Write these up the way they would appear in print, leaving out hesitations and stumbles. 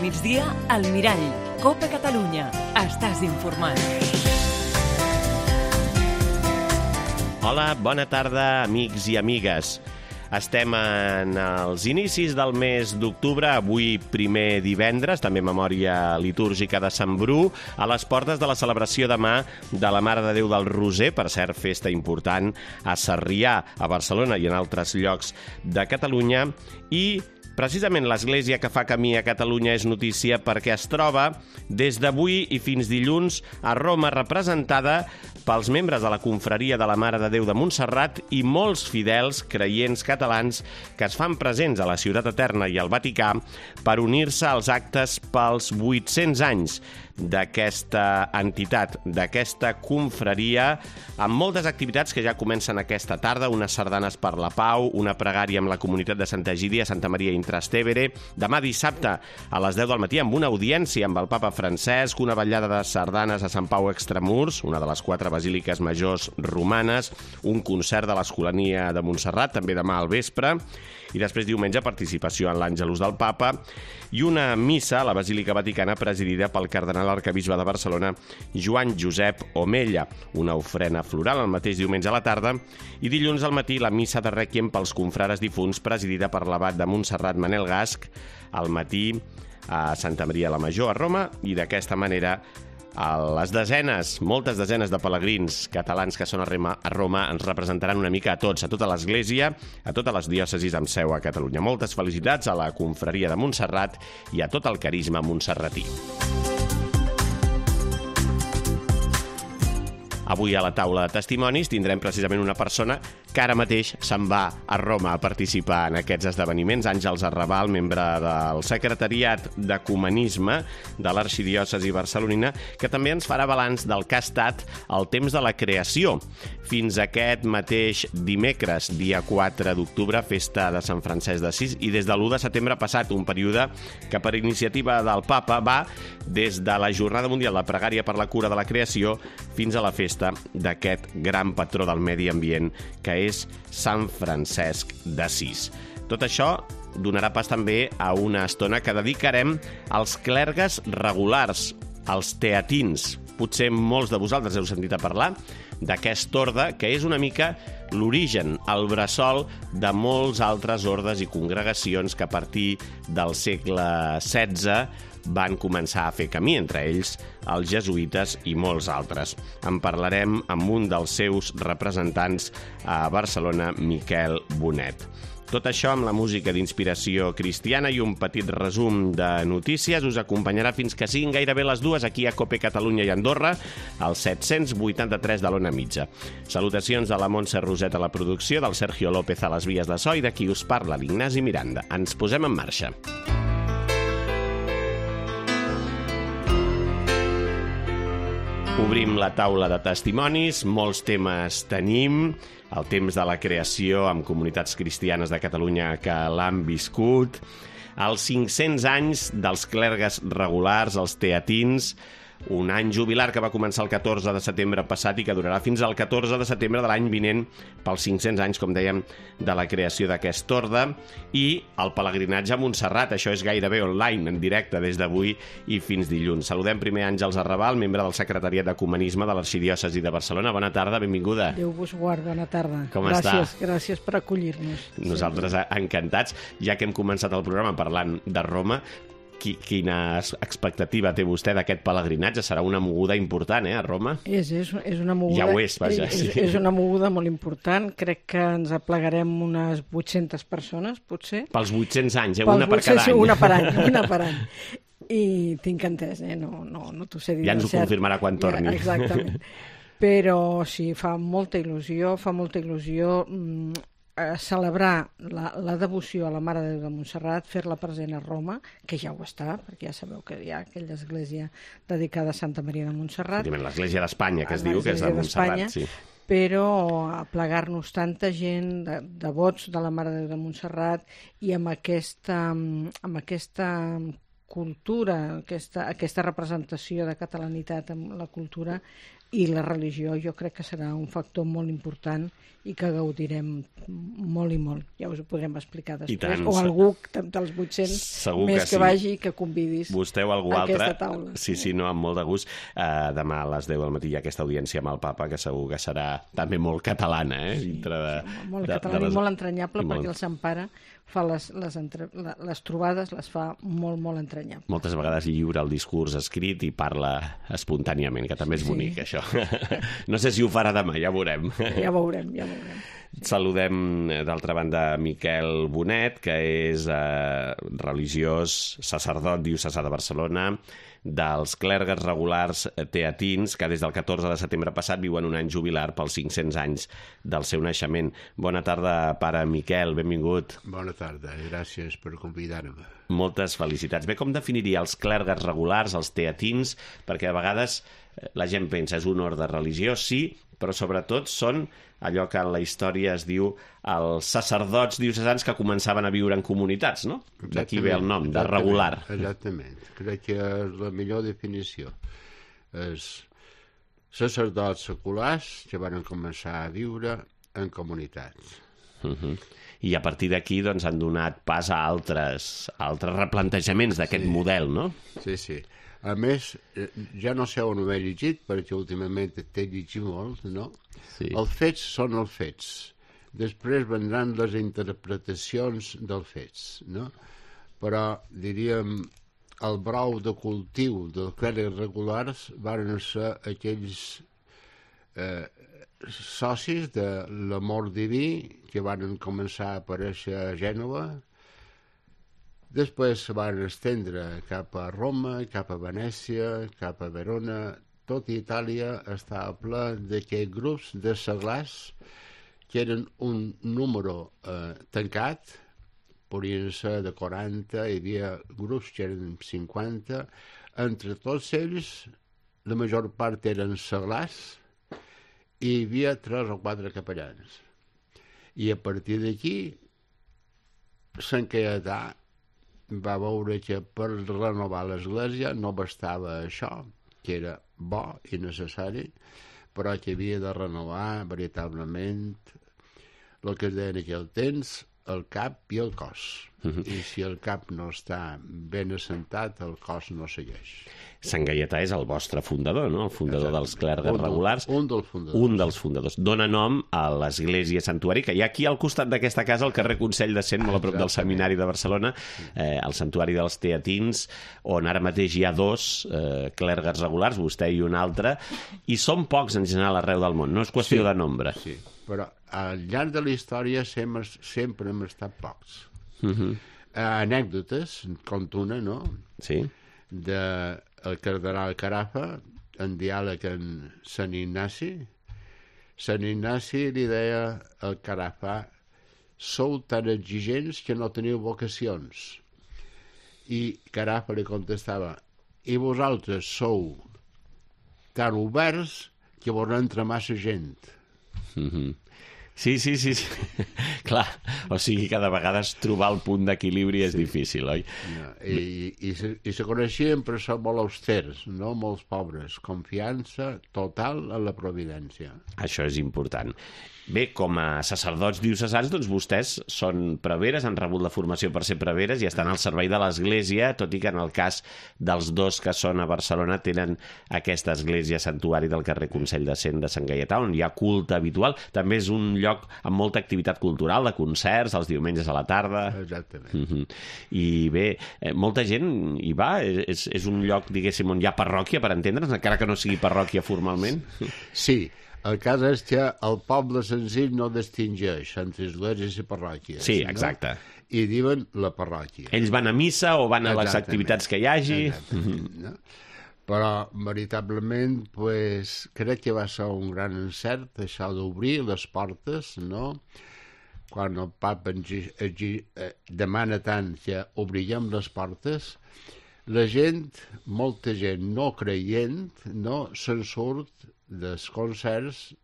migdia, al Mirall. Copa Catalunya. Estàs informat. Hola, bona tarda, amics i amigues. Estem en els inicis del mes d'octubre, avui primer divendres, també memòria litúrgica de Sant Bru, a les portes de la celebració demà de la Mare de Déu del Roser, per cert, festa important a Sarrià, a Barcelona i en altres llocs de Catalunya, i precisament l'església que fa camí a Catalunya és notícia perquè es troba des d'avui i fins dilluns a Roma, representada pels membres de la confraria de la Mare de Déu de Montserrat i molts fidels creients catalans que es fan presents a la Ciutat Eterna i al Vaticà per unir-se als actes pels 800 anys d'aquesta entitat, d'aquesta confraria, amb moltes activitats que ja comencen aquesta tarda, unes sardanes per la pau, una pregària amb la comunitat de Santa Egídia, Santa Maria in Trastevere, demà dissabte a les 10 del matí amb una audiència amb el papa Francesc, una vetllada de sardanes a Sant Pau Extramurs, una de les 4 basíliques majors romanes, un concert de l'Escolania de Montserrat, també demà al vespre, i després diumenge participació en l'Àngelus del Papa i una missa a la Basílica Vaticana presidida pel cardenal arquebisbe de Barcelona Joan Josep Omella, una ofrena floral el mateix diumenge a la tarda, i dilluns al matí la missa de rèquiem pels confrares difunts presidida per l'abat de Montserrat Manel Gasch al matí a Santa Maria la Major a Roma, i d'aquesta manera les desenes, moltes desenes de pelegrins catalans que són a Roma ens representaran una mica a tots, a tota l'Església, a totes les diòcesis amb seu a Catalunya. Moltes felicitats a la confraria de Montserrat i a tot el carisma montserratí. Avui a la taula de testimonis tindrem precisament una persona que ara mateix se'n va a Roma a participar en aquests esdeveniments. Àngels Arrabal, membre del secretariat d'Ecumenisme de l'Arxidiòcesi barcelonina, que també ens farà balanç del que ha estat el temps de la creació. Fins aquest mateix dimecres, dia 4 d'octubre, festa de Sant Francesc d'Assís, i des de l'1 de setembre passat un període que per iniciativa del papa va des de la Jornada Mundial de Pregària per la Cura de la Creació fins a la festa d'aquest gran patró del medi ambient que és Sant Francesc d'Assís. Tot això donarà pas també a una estona que dedicarem als clergues regulars, als teatins. Potser molts de vosaltres heu sentit a parlar d'aquest orde, que és una mica l'origen, el bressol de molts altres ordes i congregacions que a partir del segle XVI van començar a fer camí, entre ells els jesuïtes i molts altres. En parlarem amb un dels seus representants a Barcelona, Miquel Bonet. Tot això amb la música d'inspiració cristiana i un petit resum de notícies us acompanyarà fins que siguin gairebé les 2 aquí a Cope Catalunya i Andorra, al 783 de l'Ona Mitja. Salutacions de la Montse Roset a la producció, del Sergio López a les vies de so i de qui us parla, l'Ignasi Miranda. Ens posem en marxa. Obrim la taula de testimonis, molts temes tenim, el temps de la creació amb comunitats cristianes de Catalunya que l'han viscut, els 500 anys dels clergues regulars, els teatins, un any jubilar que va començar el 14 de setembre passat i que durarà fins al 14 de setembre de l'any vinent pels 500 anys, com dèiem, de la creació d'aquest orde, i el pelegrinatge a Montserrat. Això és gairebé online, en directe, des d'avui i fins dilluns. Saludem primer Àngels Arrabal, membre del secretariat d'Ecumenisme de l'Arxidiòcesi de Barcelona. Bona tarda, benvinguda. Déu vos guard, bona tarda. Com està? Gràcies per acollir-nos. Nosaltres encantats, ja que hem començat el programa parlant de Roma. Quina expectativa té vostè d'aquest pelegrinatge? Serà una moguda important, a Roma? És una moguda... Ja ho és, vaja. És una moguda molt important. Crec que ens aplegarem unes 800 persones, potser. Pels 800 anys, una per cada any. Una per any. I tinc entès, no t'ho sé dir. Ja ens ho confirmarà quan torni. Exactament. Però sí, fa molta il·lusió celebrar la devoció a la Mare de Déu de Montserrat, fer-la present a Roma, que ja ho està, perquè ja sabeu que hi ha aquella església dedicada a Santa Maria de Montserrat. L'església d'Espanya, que es diu, que és de Montserrat, sí. Però aplegar-nos tanta gent, devots de la Mare de Déu de Montserrat, i amb aquesta cultura, aquesta representació de catalanitat amb la cultura, i la religió jo crec que serà un factor molt important i que gaudirem molt i molt. Ja us ho podrem explicar després. tant, O algú dels 800 segur més que sí. vagi que convidis Vostè o algú a altre. aquesta taula. Sí, no, amb molt de gust. Demà a les 10 del matí hi ha aquesta audiència amb el papa, que segur que serà també molt catalana, dintre de... Molt català i molt entranyable, perquè el Sant Pare fa les trobades, les fa molt, molt entranyables. Moltes vegades lliura el discurs escrit i parla espontàniament, que també és bonic, això. No sé si ho farà demà, ja veurem. Ja veurem. Saludem, d'altra banda, Miquel Bonet, que és religiós, sacerdot diocesà de Barcelona, dels clergues regulars teatins, que des del 14 de setembre passat viuen un any jubilar pels 500 anys del seu naixement. Bona tarda, pare Miquel, benvingut. Bona tarda, gràcies per convidar-me. Moltes felicitats. Bé, com definiria els clergues regulars, els teatins? Perquè a vegades la gent pensa és un ordre religiós, sí, però sobretot són allò que en la història es diu els sacerdots diocesans que començaven a viure en comunitats, no? D'aquí ve el nom, de regular. Exactament. Crec que és la millor definició. Els sacerdots seculars que van començar a viure en comunitats. I a partir d'aquí doncs, han donat pas a altres replantejaments d'aquest model, no? Sí. A més, ja no sé on ho he llegit, perquè últimament t'he llegit molt, no? Sí. Els fets són els fets. Després vendran les interpretacions dels fets, no? Però, diríem, el brou de cultiu dels clergues regulars van ser aquells socis de l'amor diví que van començar a aparèixer a Gènova. Després se van estendre cap a Roma, cap a Venècia, cap a Verona. Tot Itàlia estava ple d'aquests grups de seglars que eren un número tancat, podien ser de 40, hi havia grups que eren 50. Entre tots ells, la major part eren seglars i hi havia 3 o 4 capellans. I a partir d'aquí, Sant Caietà va veure que per renovar l'església no bastava això, que era bo i necessari, però que havia de renovar veritablement el que es deia en aquell temps, el cap i el cos. I si el cap no està ben assentat, el cos no segueix. Sant Gaietà és el vostre fundador, no? El fundador dels clergues regulars. Un dels fundadors. Un dels fundadors. Dóna nom a l'església santuari, que hi ha aquí al costat d'aquesta casa, al carrer Consell de Cent, molt a prop del Seminari de Barcelona, el santuari dels teatins, on ara mateix hi ha 2 clergues regulars, vostè i un altre, i són pocs en general arreu del món, no és qüestió de nombre. Sí, però al llarg de la història sempre hem estat pocs. Anècdotes, conto una, no? Sí. El cardenal Carafa, en diàleg amb Sant Ignasi. Sant Ignasi li deia al Carafa: sou tan exigents que no teniu vocacions. I Carafa li contestava: i vosaltres sou tan oberts que vos entra massa gent. Sí. Clar, o sigui que de vegades trobar el punt d'equilibri és difícil, oi? I se coneixien per ser molt austers, no? Molts pobres. Confiança total en la providència. Això és important. Bé, com a sacerdots diocesans, doncs vostès són preveres, han rebut la formació per ser preveres i estan al servei de l'Església, tot i que en el cas dels 2 que són a Barcelona tenen aquesta església santuari del carrer Consell de Cent de Sant Gaietà, on hi ha culte habitual. També és un lloc amb molta activitat cultural, de concerts, els diumenges a la tarda. Exactament. I bé, molta gent hi va, és un lloc, diguéssim, on hi ha parròquia, per entendre's, encara que no sigui parròquia formalment. Sí. El cas és que el poble senzill no distingeix entre esglésies i parròquies. Sí, exacte. No? I diuen la parròquia. Ells van a missa o van a les activitats que hi hagi. No? Però, veritablement, pues, crec que va ser un gran encert això d'obrir les portes, no? Quan el papa demana tant que obriguem les portes, la gent, molta gent no creient, no, se'n surt dels concerts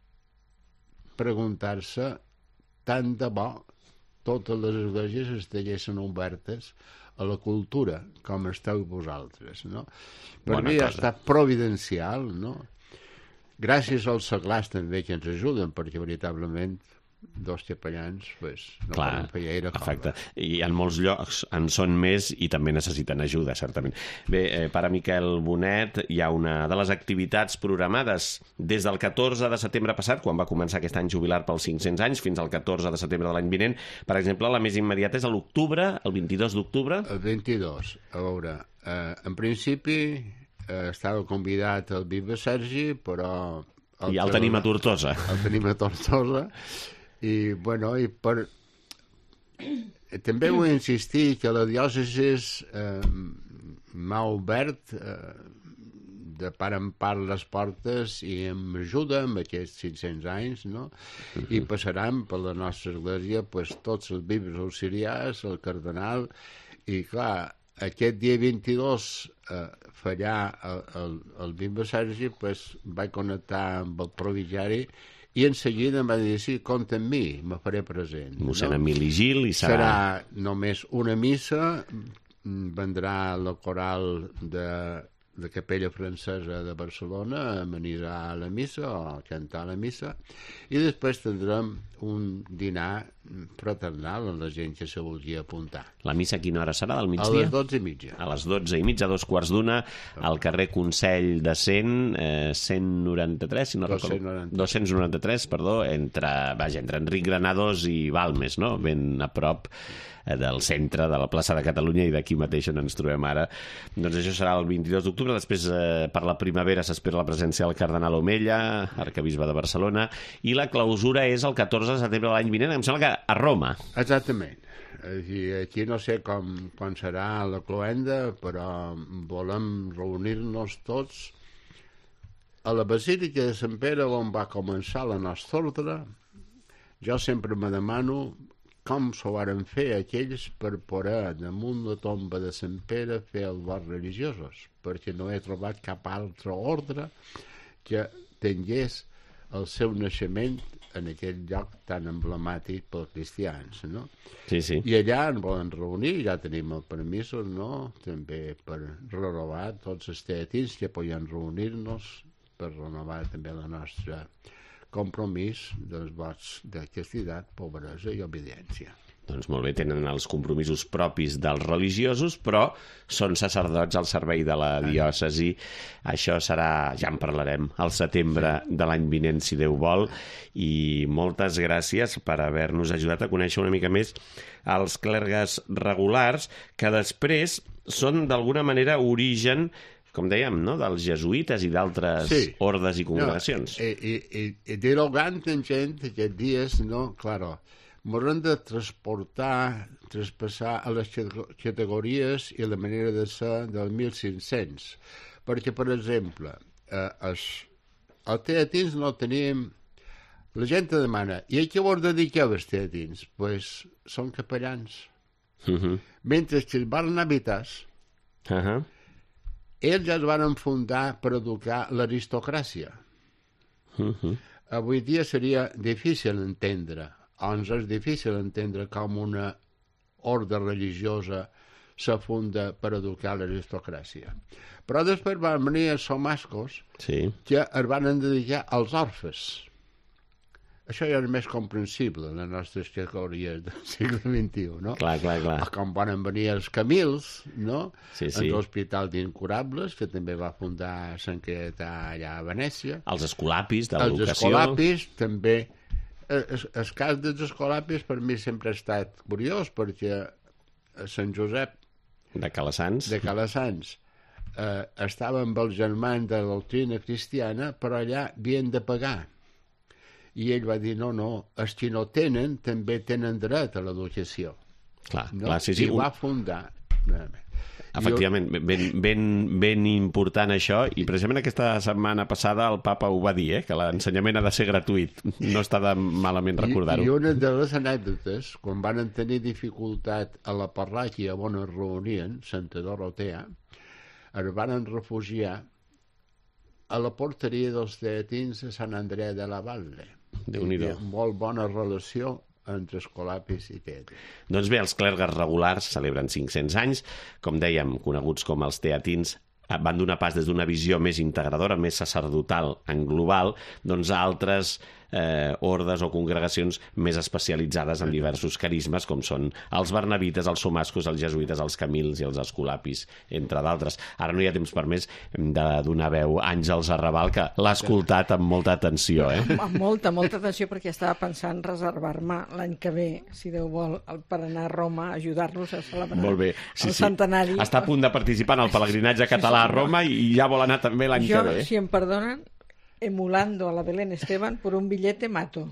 preguntar-se tant de bo totes les esglésies estiguessin obertes a la cultura, com esteu vosaltres, no? Per mi ha estat providencial, no? gràcies als seglars també que ens ajuden, perquè veritablement dos capellans no poden fer gaire cosa. Exacte. I en molts llocs en són més i també necessiten ajuda, certament. Bé, pare Miquel Bonet, hi ha una de les activitats programades des del 14 de setembre passat, quan va començar aquest any jubilar pels 500 anys, fins al 14 de setembre de l'any vinent. Per exemple, la més immediata és a l'octubre, el 22 d'octubre. El 22, a veure, en principi estava convidat el Bisbe Sergi, però... Ja el tenim a Tortosa. El tenim a Tortosa. I, bueno, també vull insistir que la diòcesi m'ha obert de part en part les portes i m'ajuda amb aquests 500 anys, no? I passaran per la nostra església tots els bisbes auxiliars, el cardenal, i clar, aquest dia 22 fallar el bisbe Sergi, vaig connectar amb el provinciari i en seguida em va dir, sí, compta amb mi, me faré present. Mossèn Emili Gil i serà només una missa, vendrà la coral de Capella Francesa de Barcelona a amenitzar la missa o a cantar la missa, i després tindrem un dinar fraternal amb la gent que se vulgui apuntar. La missa a quina hora serà, del migdia? A les 12:30. A les 12:30, 2:15, al carrer Consell de 193, si no recordo. 293, perdó, entre Enric Granados i Balmes, no? Ben a prop del centre de la plaça de Catalunya i d'aquí mateix on ens trobem ara. Doncs això serà el 22 d'octubre. Després, per la primavera, s'espera la presència del cardenal Omella, arquebisbe de Barcelona, i la clausura és el 14 de setembre de l'any vinent, em sembla que a Roma. Exactament. Aquí no sé quan serà la cloenda, però volem reunir-nos tots a la Basílica de Sant Pere, on va començar la nostra ordre. Jo sempre me demano com s'ho varen fer aquells per poder, damunt la tomba de Sant Pere, fer els vots religiosos, perquè no he trobat cap altre ordre que tingués el seu naixement en aquell lloc tan emblemàtic pels cristians, no? Sí, sí. I allà ens volen reunir, ja tenim el permís, no?, també per renovar tots els teatins que podien reunir-nos, per renovar també la nostra compromís dels vots de castitat, pobresa i obediència. Doncs molt bé, tenen els compromisos propis dels religiosos, però són sacerdots al servei de la diòcesi. Això serà, ja en parlarem, al setembre de l'any vinent, si Déu vol, i moltes gràcies per haver-nos ajudat a conèixer una mica més els clergues regulars, que després són d'alguna manera origen, com dèiem, no?, dels jesuïtes i d'altres ordes i congregacions. I dialogant amb gent aquests dies, no, claro, m'hauran de traspassar a les categories i la manera de ser del 1500. Perquè, per exemple, els teatins no teníem... La gent te demana, i a què vos dediqueu els teatins? Doncs són capellans. Mentre que els barnabites, ells ja es van fundar per educar l'aristocràcia. Avui dia seria difícil entendre, ens és difícil entendre com una ordre religiosa se funda per educar l'aristocràcia. Però després van venir els somascos que es van dedicar als orfes. Això ja és més comprensible en les nostres categories del segle XXI, no? Clar. Com van venir els Camils, no? Sí. En l'Hospital d'Incurables, que també va fundar Sant Caietà allà a Venècia. Els escolapis de l'educació. Els escolapis, també. El cas dels escolapis per mi sempre ha estat curiós, perquè Sant Josep de Calassanç estava amb els germans de la doctrina cristiana, però allà havien de pagar. I ell va dir, no, els que no tenen també tenen dret a l'educació. Clar, sí. I va fundar. Efectivament, ben important això, i precisament aquesta setmana passada el papa ho va dir, que l'ensenyament ha de ser gratuït. No està de malament recordar-ho. I una de les anècdotes, quan van tenir dificultat a la parròquia on es reunien, Santa Dorotea, es van refugiar a la porteria dels teatins de Sant Andrea de la Valle. Déu-n'hi-do. Molt bona relació entre escolapis i teatins. Doncs bé, els clergues regulars celebren 500 anys, com dèiem, coneguts com els teatins, van donar pas des d'una visió més integradora, més sacerdotal en global, doncs a altres ordes o congregacions més especialitzades en diversos carismes, com són els barnabites, els somascos, els jesuïtes, els camils i els escolapis, entre d'altres. Ara no hi ha temps per més de donar veu a Àngels Arrabal, que l'ha escoltat amb molta atenció. Amb molta atenció, perquè estava pensant reservar-me l'any que ve, si Déu vol, per anar a Roma a ajudar-los a celebrar el centenari. Està a punt de participar en el pelegrinatge català a Roma i ja vol anar també l'any que ve. Si em perdonen, emulando a la Belén Esteban por un billete mato.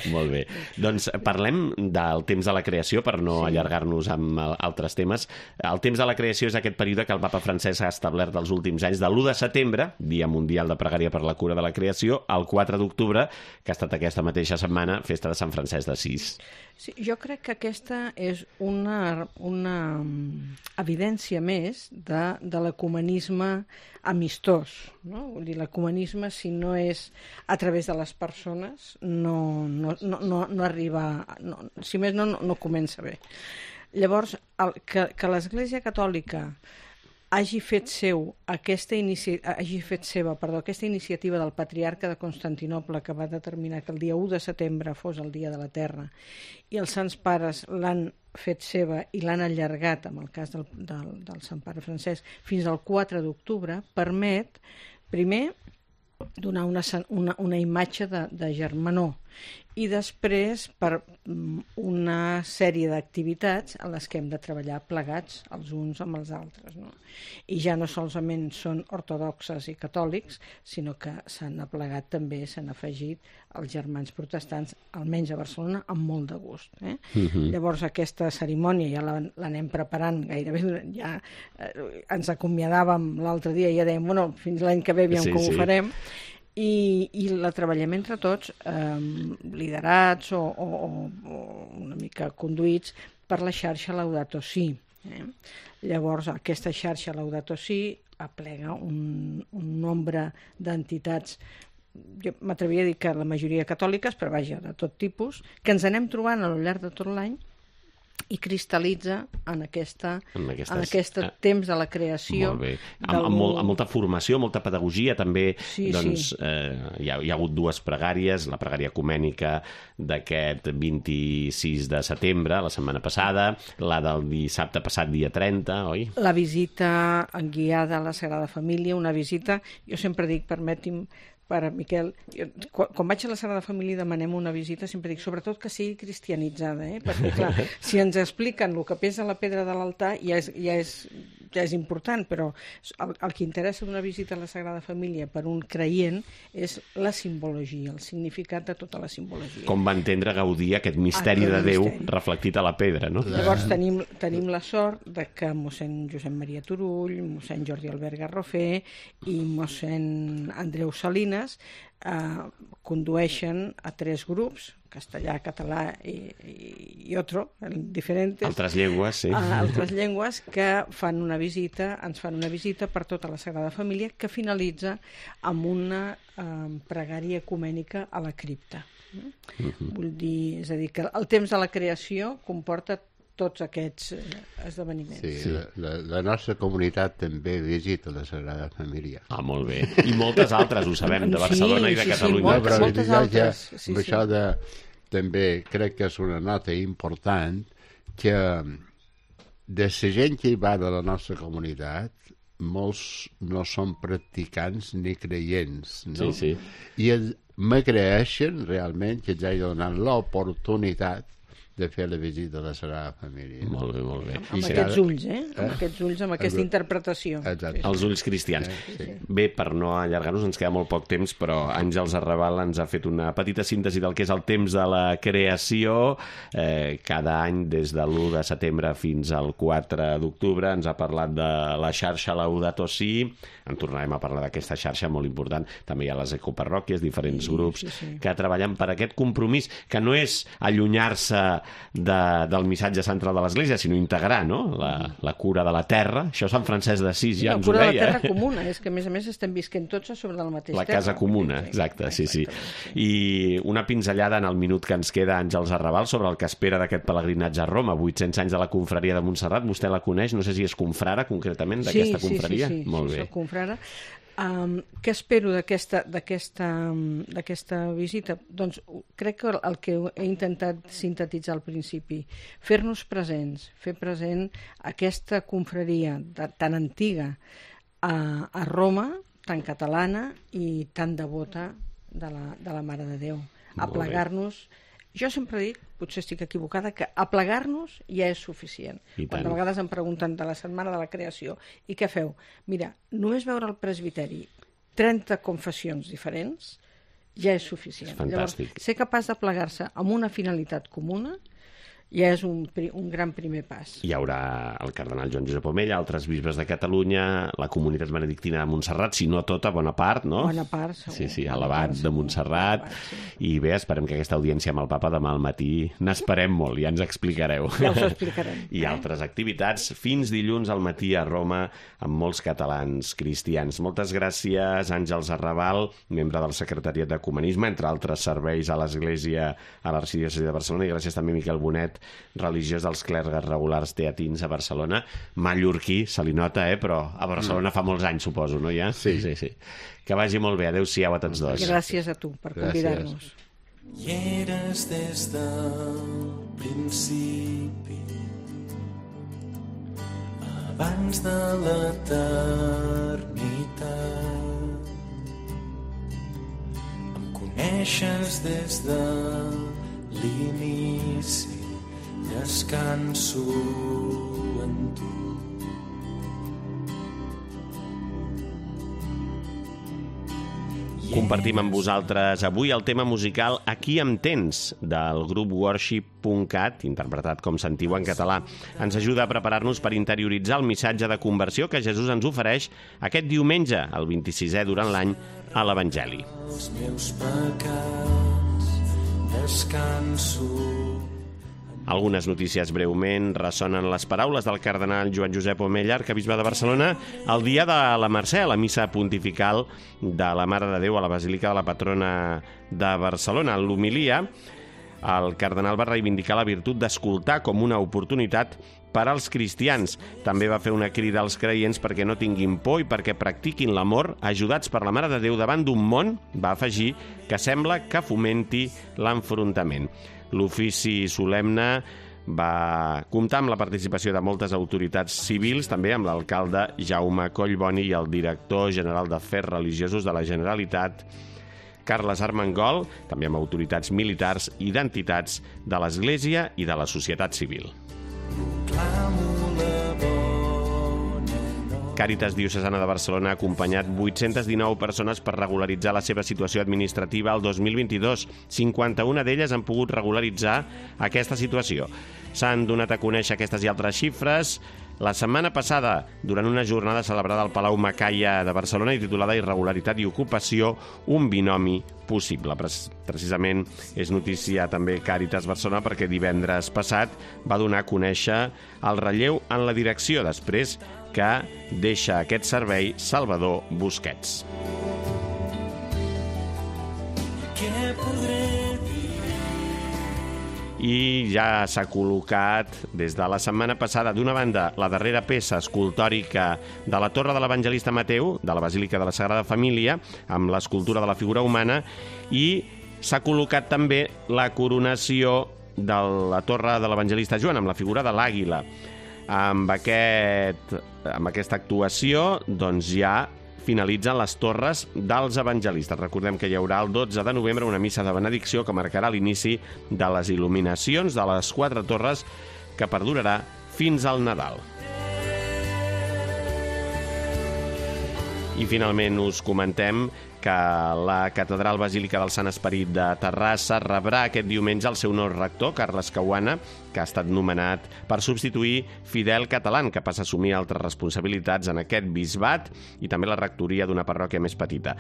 Molt bé. Doncs parlem del temps de la creació, per no allargar-nos amb altres temes. El temps de la creació és aquest període que el papa Francesc ha establert els últims anys, de l'1 de setembre, Dia Mundial de Pregària per la Cura de la Creació, al 4 d'octubre, que ha estat aquesta mateixa setmana, festa de Sant Francesc d'Assís. Sí, jo crec que aquesta és una evidència més de l'ecumenisme amistós, no? Vull dir, l'ecumenisme, si no és a través de les persones, no arriba... Si més no comença bé. Llavors, que l'Església Catòlica hagi fet aquesta iniciativa del patriarca de Constantinoble, que va determinar que el dia 1 de setembre fos el Dia de la Terra, i els Sants Pares l'han fet seva i l'han allargat, en el cas del Sant Pare Francesc, fins al 4 d'octubre, permet, primer, donar una imatge de germanor, i després per una sèrie d'activitats en les que hem de treballar plegats els uns amb els altres, no? I ja no solament són ortodoxes i catòlics, sinó que s'han aplegat també, s'han afegit els germans protestants, almenys a Barcelona, amb molt de gust. Llavors aquesta cerimònia ja l'anem preparant gairebé, ja ens acomiadàvem l'altre dia i ja dèiem, bueno, fins l'any que ve aviam com ho farem, i la treballem entre tots, liderats o una mica conduïts per la xarxa Laudato Si. Llavors, aquesta xarxa Laudato Si aplega un nombre d'entitats, jo m'atreviria a dir que la majoria catòliques, però vaja, de tot tipus, que ens anem trobant a lo llarg de tot l'any i cristal·litza en aquest temps de la creació. Molt bé. Amb molta formació, molta pedagogia, també. Hi ha hagut dues pregàries, la pregària ecumènica d'aquest 26 de setembre, la setmana passada, la del dissabte passat, dia 30, oi? La visita guiada a la Sagrada Família, una visita, jo sempre dic, permeti'm, per Miquel, quan vaig a la Sagrada Família i demanem una visita, sempre dic, sobretot que sigui cristianitzada, perquè clar, si ens expliquen el que pesa la pedra de l'altar ja és important, però el que interessa d'una visita a la Sagrada Família per un creient és la simbologia, el significat de tota la simbologia. Com va entendre Gaudí aquest misteri de Déu reflectit a la pedra, no? Llavors tenim la sort de que mossèn Josep Maria Turull, mossèn Jordi Albert Garrofer i mossèn Andreu Salinas condueixen a 3 grups, castellà, català i otro, diferents. Altres llengües, sí. Altres llengües que ens fan una visita per tota la Sagrada Família, que finalitza amb una pregària ecumènica a la cripta. Vull dir, és a dir, que el temps de la creació comporta tots aquests esdeveniments. Sí, la nostra comunitat també visita la Sagrada Família. Molt bé. I moltes altres, ho sabem, de Barcelona i de Catalunya. Moltes altres. Això també crec que és una nota important, que de la gent que hi va de la nostra comunitat, molts no són practicants ni creients, no? Sí. I m'agraeixen realment que ens hagi donat l'oportunitat de fer la visita a la Sagrada Família. Molt bé, molt bé. Amb aquests ulls, amb aquests ulls, amb aquesta interpretació. Exacte. Els ulls cristians. Bé, per no allargar-nos, ens queda molt poc temps, però Àngels Arrabal ens ha fet una petita síntesi del que és el temps de la creació. Cada any, des de l'1 de setembre fins al 4 d'octubre, ens ha parlat de la xarxa Laudato Si. En tornarem a parlar d'aquesta xarxa molt important. També hi ha les ecoparròquies, diferents grups que treballen per aquest compromís, que no és allunyar-se del missatge central de l'Església, sinó integrar, no?, la cura de la terra. Això Sant Francesc d'Assís ja ens ho deia. La cura de la terra comuna, és que a més estem visquent tots sobre el mateix terra. La casa comuna, exacte, sí. I una pinzellada en el minut que ens queda, Àngels Arrabal, sobre el que espera d'aquest pelegrinatge a Roma, 800 anys de la confraria de Montserrat. Vostè la coneix, no sé si és confrara concretament d'aquesta confraria. Sí, molt bé. soc confrara. Què espero d'aquesta visita? Doncs crec que el que he intentat sintetitzar al principi, fer-nos presents, fer present aquesta confraria tan antiga a Roma, tan catalana i tan devota de la Mare de Déu. Aplegar-nos. Jo sempre dic, potser estic equivocada, que aplegar-nos ja és suficient. Quan de vegades em pregunten de la Setmana de la Creació, i què feu? Mira, només veure al presbiteri 30 confessions diferents ja és suficient. És fantàstic. Llavors, ser capaç de plegar-se amb una finalitat comuna ja és un gran primer pas. Hi haurà el cardenal Joan Josep Omella, altres bisbes de Catalunya, la comunitat benedictina de Montserrat, si no tota, bona part, no? Bona part, segur. Sí, a l'abat de Montserrat. I bé, esperem que aquesta audiència amb el papa demà al matí n'esperem molt, ja ens explicareu. Ja us ho explicarem. I altres activitats fins dilluns al matí a Roma amb molts catalans cristians. Moltes gràcies, Àngels Arrabal, membre del Secretariat d'Ecumenisme, entre altres serveis a l'Església a l'Arxidiòcesi de Barcelona, i gràcies també a Miquel Bonet, religiós dels clergues regulars teatins a Barcelona. Mallorquí, se li nota, però a Barcelona fa molts anys, suposo, no, ja? Sí. Que vagi molt bé. Adéu-siau a tots dos. Gràcies a tu per convidar-nos. I eres des del principi, abans de l'eternitat. Em coneixes des de l'inici, descanso en tu. Compartim amb vosaltres avui el tema musical Aquí em tens, del grup Worship.cat, interpretat com sentiu en català. Ens ajuda a preparar-nos per interioritzar el missatge de conversió que Jesús ens ofereix aquest diumenge, el 26è durant l'any, a l'Evangeli. Els meus pecats descanso. Algunes notícies breument. Ressonen les paraules del cardenal Joan Josep Omella, arquebisbe de Barcelona, el dia de la Mercè, la missa pontifical de la Mare de Déu a la Basílica de la Patrona de Barcelona. En l'homilia, el cardenal va reivindicar la virtut d'escoltar com una oportunitat per als cristians. També va fer una crida als creients perquè no tinguin por i perquè practiquin l'amor, ajudats per la Mare de Déu davant d'un món, va afegir, que sembla que fomenti l'enfrontament. L'ofici solemne va comptar amb la participació de moltes autoritats civils, també amb l'alcalde Jaume Collboni i el director general d'Afers Religiosos de la Generalitat, Carles Armengol, també amb autoritats militars i d'entitats de l'Església i de la societat civil. Càritas Diocesana de Barcelona ha acompanyat 819 persones per regularitzar la seva situació administrativa el 2022. 51 d'elles han pogut regularitzar aquesta situació. S'han donat a conèixer aquestes i altres xifres la setmana passada, durant una jornada celebrada al Palau Macaya de Barcelona i titulada Irregularitat i ocupació, un binomi possible. Precisament és notícia també Càritas Barcelona perquè divendres passat va donar a conèixer el relleu en la direcció després que deixa aquest servei Salvador Busquets. I ja s'ha col·locat des de la setmana passada, d'una banda, la darrera peça escultòrica de la Torre de l'Evangelista Mateu, de la Basílica de la Sagrada Família, amb l'escultura de la figura humana, i s'ha col·locat també la coronació de la Torre de l'Evangelista Joan, amb la figura de l'àguila. Amb aquesta actuació, doncs ja finalitzen les torres dels evangelistes. Recordem que hi haurà el 12 de novembre una missa de benedicció que marcarà l'inici de les il·luminacions de les 4 torres que perdurarà fins al Nadal. I finalment us comentem que la Catedral Basílica del Sant Esperit de Terrassa rebrà aquest diumenge el seu nou rector, Carles Caruana, que ha estat nomenat per substituir Fidel Catalán, que passa a assumir altres responsabilitats en aquest bisbat i també la rectoria d'una parròquia més petita.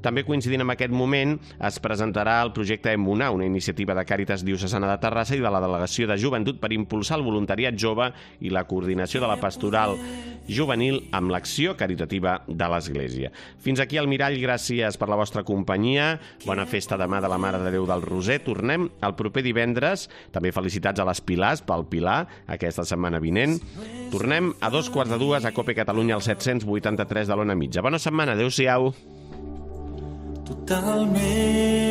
També coincidint amb aquest moment es presentarà el projecte Emunar, una iniciativa de Càritas Diocesana de Terrassa i de la Delegació de Joventut per impulsar el voluntariat jove i la coordinació de la pastoral juvenil amb l'acció caritativa de l'Església. Fins aquí el Mirall, gràcies per la vostra companyia. Bona festa demà de la Mare de Déu del Roser. Tornem el proper divendres. També felicitats a les Pilars pel Pilar aquesta setmana vinent. Tornem a 2:45 a Cope Catalunya al 783 de l'Ona Mitja. Bona setmana, adeu-siau. Totalment